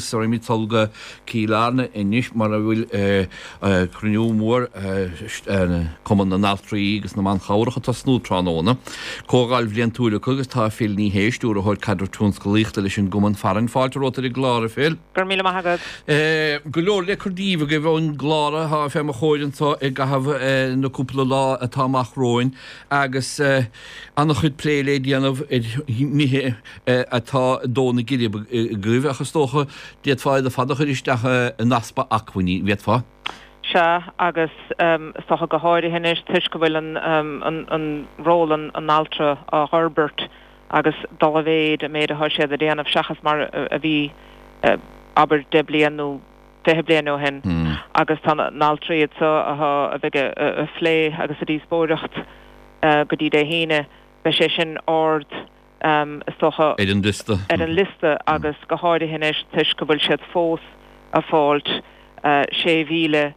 agus raghaimid sall go Cill Airne anois mar a bhfuil cruinniú mór Cumann na nAltraí agus na mBan Chabhrach ag tosnú tráthnóna. Comhdháil bhliantúil acu agus tá Phil Ní Sheaghdha, Stiúrthóir Caidreamh Tionsclaíochta leis an gCumann farainn. Fáilte romhat ar an gclár, a Phil. Go raibh míle maith agat. Go leor le cur díbh agaibh ón gclár atá fé mo chomhair anseo i gcaitheamh na cúpla lá atá amach romhainn agus an-chuid plé le déanamh ar nithe atá ag dó na geirbe agaibh, ach is dócha, d'fhéadfá iad ar fad a chur isteach in easpa acmhainní, an bhféadfá? Sea, agus is dócha go háirithe anois toisc go bhfuil an ról an altra á fhorbairt agus dul i mhéid, an méid atá siad a déanamh seachas mar a bhí, abair, 10 bliain nó 20 bliain ó shin. Agus tá na n-altraí anseo atá a bheidh ag plé agus ag díospóireacht go dtí Dé hAoine, beidh sé sin ard, is dócha, ar an liosta. ar an liosta agus go háirithe anois toisc go bhfuil siad fós ag fáilt €6,000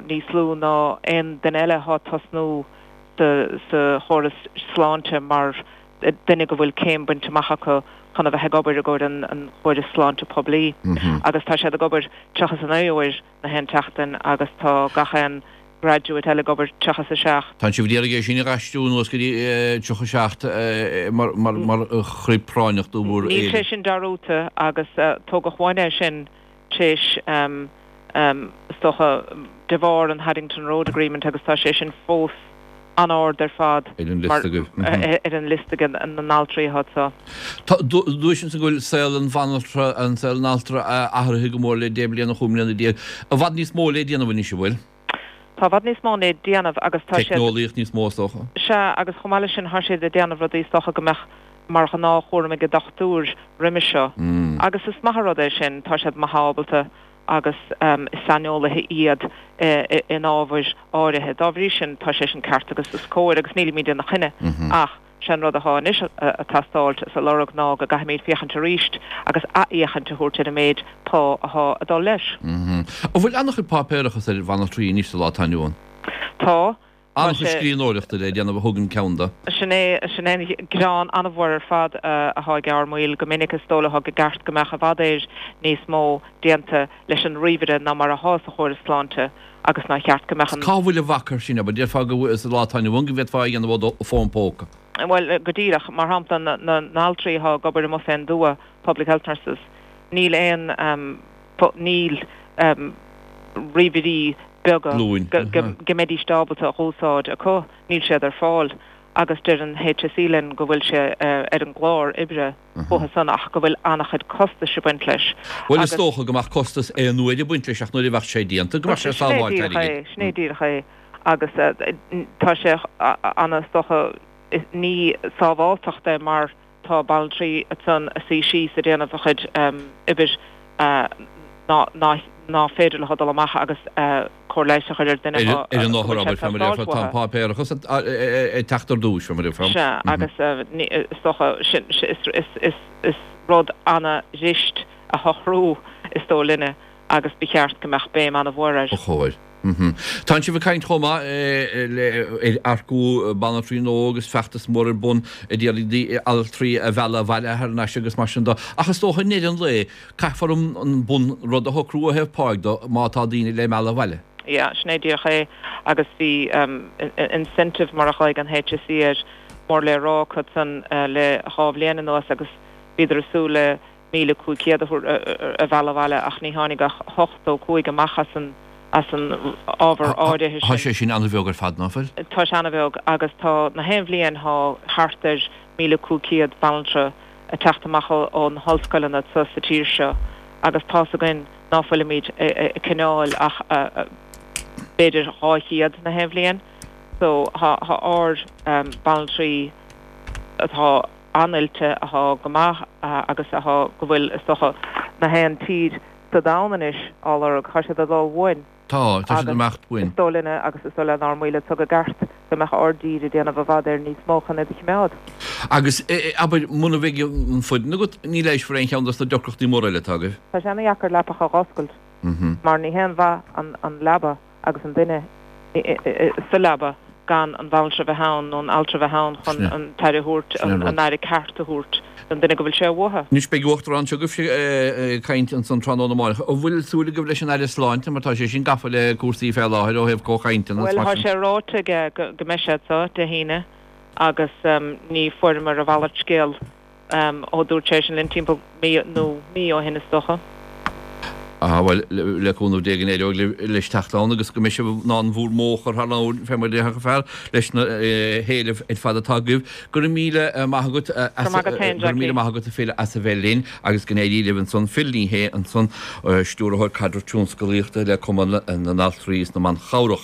níos lú ná aon duine eile atá ag tosnú sa chóras sláinte mar duine go bhfuil céim bainte amach acu chun a bheith ag obair i gcomhair an chórais sláinte poiblí agus tá siad ag obair 39 uair na haon tseachtain agus tá gach aon graduate eile ag obair 37. Tá sibh ag iarraidh é sin a dh'aistriú anuas go dtí 37 mar chroí práinneach do bhur Níl sé sin dearúdta agus tógadh uainn é sin tar éis, is dócha, de bharr an Haddington Road Agreement agus tá sé sin fós an-ard ar fad ar an liosta agaibh. ar an liosta ag na n-altraí atá anseo. Tá, dúirt ansan go bhfuil saol an bhanaltra, an saol an altra athraithe go mór le 10 bliana, 15 mbliana. I bhfad níos mó le déanamh anois, an bhfuil? Tá i bhfad níos mó le déanamh agus tá siad. Teicneolaíocht níos mó is dócha. Sea, agus chomh maith leis sin, tá siad ag déanamh rudaí is dócha go mbeadh mar ghnáthchúram ag an dochtúir roimhe seo. Agus is maith an rud é sin, tá siad maith ábalta agus is saineolaithe iad in ábhair áirithe. Dá bhrí sin, tá sé sin ceart agus is cóir agus nílimid ina choinne ach sé an rud athá anois a' teastáilt is a lorg ná go gcaithfimid féachaint arís agus athfhéachaint a thabhairt ar an méid pá athá a dul leis. An bhfuil an-chuid páipéarachas ar bhanaltraí anois sa lá atá inniu ann? Tá. Tá An-chuid sé. scríbhneoireachta le déanamh a thugann ceann de. Sin é, sin é an gearán an-mhór ar fad athá ag ár mbaill go minic is dóigh leo go gceart go mbeadh i bhfad éir níos mó déanta leis an ríomhaire ná mar athá sa chóras sláinte agus nár cheart go mbeadh an. Cá bhfuil an bhac air sin, abair? Déarfá go bhfuil, sa lá atá inniu ann, go bhféadfá é a dhéanamh ó do fón póca. Bhuel, go díreach. Mar shampla, na n-altraí athá ag obair amuigh fén dtuath, public health nurses, níl aon, níl ríomhairí beaga go mbeidíst ábalta a dh'úsáid acu, níl siad ar fáil agus deir an HSE linn go bhfuil sé ar an gclár oibre uathu san ach go bhfuil an-chuid costais ag baint leis. Bhuel is dócha go mbeadh costas aon uair ag baint leis ach nuair a bheadh sé déanta go mbeadh sé ag sábháilt airgid. Sin é díreach é agus tá sé ana is dócha ní sábháltacht é mar tá banaltraí ansan a suí síos a déanamh a chuid oibre ná féidir leo dul amach agus cóir leighis a chur ar duine Ar an othar, abair, fé mar a déarfá, tá an páipéarachas ag teacht ar dtúis, fé mar a déarfá. Sea, agus is dócha, sin, is rud ana-dhrist a shocrú, is dóigh linne, agus ba cheart go mbeadh béim ana-mhór air. Ba chóir. Tánn sibh ag caint chomh maith ar earcú banaltraí nua agus feachtas mór ar bun ag iarraidh altraí a mhealladh abhaile thar n-ais agus mar sin de. Ach is dócha i ndeireadh an lae, caithfear an bun rud a shocrú ó thaobh páigh de má tá daoine le mealladh abhaile. Yeah, sin é díreach é. Agus bhí incentive, mar a ghlaoigh an HSE air, mór le rá acu san le dhá bhliain anuas agus bhíodar ag súil le 1,500 a mhealladh abhaile ach ní tháinig ach 85 amach as an as an ábhar áirithe sin. Tá sé sin an-bheag ar fad, ná fuil? Tá sé an-bheag agus tá na haon bhliain thá thart ar 1,500 banaltra ag teacht amach ó na hollscoileanna sa tír seo agus tá's againn ná fuilimid ag coinneáil ach b'fhéidir 200 na haon bhliain so thá ár banaltraí atá an-oilte athá go maith agus athá go bhfuil, is dócha, na haon tír sa domhan anois á lorg. Thá siad ag dul uainn. Tá, tá siad ag imeacht uainn. Is dóigh linne agus is dóigh lenár mbaill anso go gceart go mbeadh ár dtír ag déanamh i bhfad Éireann níos mó chun iad a chimeád. Agus, abair, muna mbeidh an foireann agat, ní leigheasfar aon cheann dos na deacrachtaí móra eile atá agaibh. Tá sé ana-dheacair leapacha a dh'oscailt mar ní haon mhaith an leaba agus an duine sa leaba gan. gan an bhanaltra bheith ann nó an altra bheith ann chun an t-aire a thabhairt, an aire ceart a thabhairt don duine go bhfuil sé uathu. Anois beidh Uachtarán s'agaibhse ag caint ansan tráthnóna amáireach. An bhfuil súil agaibh leis an Aire Sláinte mar tá sé sin gafa le cúrsaí fé láthair ó thaobh comhchainteanna is Bhuel, mar tá sin. sé ráite aige go mbeidh sé anso Dé hAoine agus ní fuaireamar a mhalairt scéil. Ó dúirt sé sin linn timpeall mí nó mí ó shin is dócha. Ah bhuel, le cúnamh Dé go n-éireoidh leis teacht ann agus go mbeidh sibh in ann bhúr modh a chur thar leabhair fé mar a déarfadh an fear leis na héilimh ar fad atá agaibh. Go raibh míle maith agat as, Go raibh maith agat féin, go raibh míle Jackie. maith agat a Phil as a bheith linn agus go n-éirí libh ansan. Phil Ní Sheaghdha ansan, Stiúrthóir Caidreamh Tionsclaíochta le Cumann na nAltraí is na mBan Chabhrach.